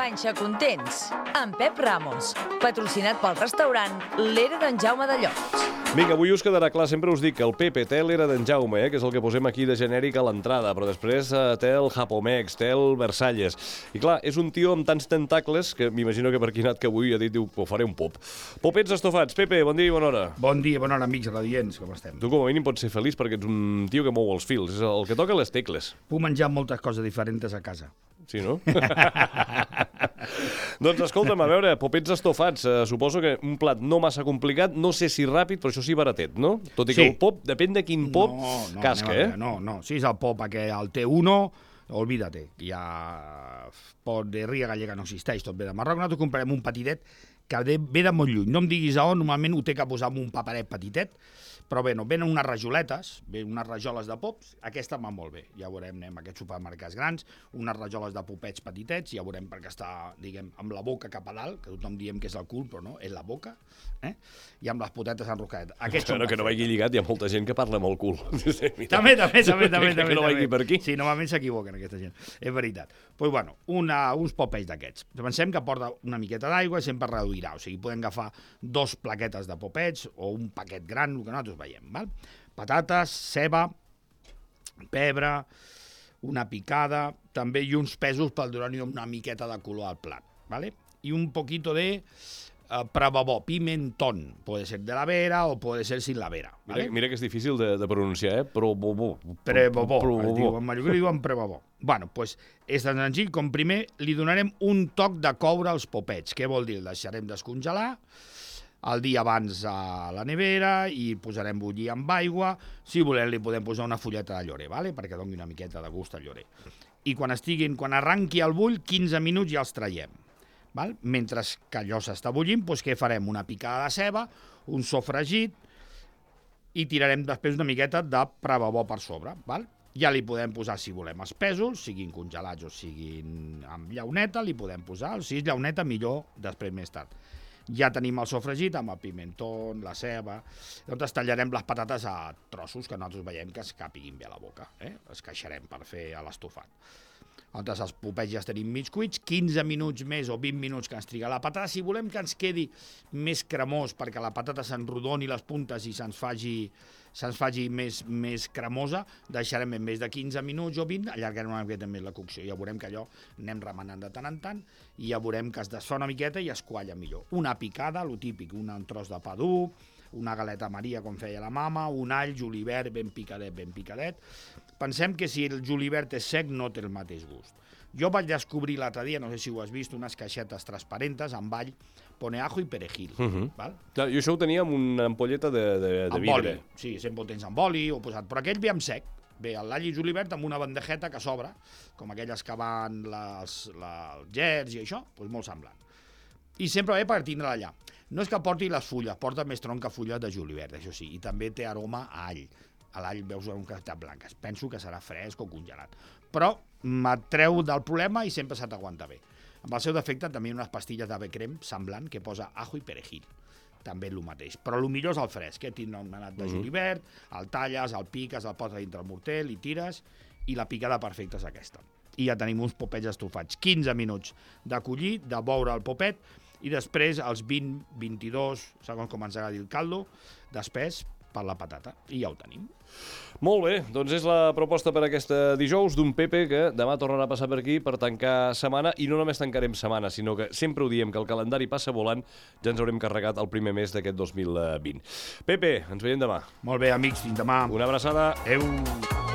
Panxa Contents, amb Pep Ramos, patrocinat pel restaurant L'Era d'en Jaume de Llots. Vinga, avui us quedarà clar, sempre us dic que el Pepe té l'Era d'en Jaume, que és el que posem aquí de genèric a l'entrada, però després té el Japomex, té el Versalles. I clar, és un tio amb tants tentacles que m'imagino que per aquí anat que avui ha dit, diu, faré un pop. Popets estofats. Pepe, bon dia i bona hora. Bon dia, bona hora, amics radients, com estem? Tu com a mínim pots ser feliç perquè ets un tio que mou els fils, és el que toca les tecles. Puc menjar moltes coses diferents a casa. Sí, no? Doncs escolta'm, a veure, popets estofats, suposo que un plat no massa complicat, no sé si ràpid, però això sí baratet, no? Tot i que el pop, depèn de quin pop, casca, No, si és el pop aquell, el T1, olvídate, ja pot de ria gallega no existeix, tot ve de Marroc, nosaltres comprarem un petitet que ve de molt lluny, no em diguis a on, normalment ho té que posar en un paperet petitet, però bé, no, venen unes rajoletes, unes rajoles de pops, aquesta va molt bé, ja veurem, anem a aquests supermercats grans, unes rajoles de popets petitets, ja veurem perquè està, diguem, amb la boca cap a dalt, que tothom diem que és el cul, però no, és la boca, i amb les potetes enroscades. Però que no vagi lligat, hi ha molta gent que parla amb el cul. També. Que no vagi per aquí. Sí, normalment s'equivoquen aquesta gent, és veritat. Doncs bueno, uns popets d'aquests. Pensem que porta una miqueta d'aigua i sempre reduirà, o sigui, podem agafar 2 plaquetes de popets o un paquet gran, el que nosaltres veiem, val? Patates, ceba, pebre, una picada, també i uns pesos per donar-hi una miqueta de color al plat, ¿vale? I un poquito de prebabó, pimentón, puede ser de la vera o puede ser sin la vera, ¿vale? Mira que és difícil de pronunciar, Prebabó, en mallorquí diuen prebabó. Bueno, doncs és tan senzill com primer li donarem un toc de coure als popets. Què vol dir? El deixarem descongelar el dia abans a la nevera i posarem bullir amb aigua. Si volem li podem posar una fulleta de llorer, ¿vale? Perquè doni una miqueta de gust al llorer. I quan arranqui el bull, 15 minuts ja els traiem. Val? Mentre que allò s'està bullint, doncs què farem? Una picada de ceba, un sofregit i tirarem després una miqueta de prebabó per sobre. Val? Ja li podem posar, si volem, els pèsols, siguin congelats o siguin amb llauneta, li podem posar, si és llauneta millor després més tard. Ja tenim el sofregit amb el pimentó, la ceba, llavors tallarem les patates a trossos que nosaltres veiem que es capiguin bé a la boca, els queixarem per fer l'estofat. Llavors els popets ja els tenim mig cuits, 15 minuts més o 20 minuts que ens triga la patata. Si volem que ens quedi més cremós perquè la patata s'enrodoni les puntes i se'ns faci més cremosa, deixarem en més de 15 minuts o 20, allargarem una miqueta més la cocció. Ja veurem que allò anem remenant de tant en tant i ja veurem que es desfà una miqueta i es qualla millor. Una picada, lo típic, un tros de pa dur, una galeta Maria, com feia la mama, un all, julivert ben picadet. Pensem que si el julivert és sec no té el mateix gust. Jo vaig descobrir l'altre dia, no sé si ho has vist, unes caixetes transparentes amb all, pone ajo i perejil. Val? Jo això ho tenia amb una ampolleta de vidre. Sí, sempre ho tens amb oli o posat, però aquell ve amb sec. Bé, l'all i julivert amb una bandejeta que s'obre, com aquelles que van els gerds i això, doncs molt semblant. I sempre ve per tindre allà. No és que porti les fulles, porta més tronc que fulles de julivert, això sí, i també té aroma a all. A l'all veus un quantitat blanques. Penso que serà fresc o congelat. Però m'atreu del problema i sempre se t'aguanta bé. Amb el seu defecte també hi ha unes pastilles de crem semblant que posa ajo i perejil. També el mateix. Però el millor és el fresc, tindrà un manat de julivert, el talles, el piques, el poses dintre el morter, i tires, i la picada perfecta és aquesta. I ja tenim uns popets estofats. 15 minuts de collir, de boure el popet, i després els 20-22, segons com ens agradi el caldo, d'espès per la patata. I ja ho tenim. Molt bé, doncs és la proposta per aquesta dijous d'un Pepe que demà tornarà a passar per aquí per tancar setmana, i no només tancarem setmana, sinó que sempre ho diem, que el calendari passa volant, ja ens haurem carregat el primer mes d'aquest 2020. Pepe, ens veiem demà. Molt bé, amics, fins demà. Una abraçada. Adéu.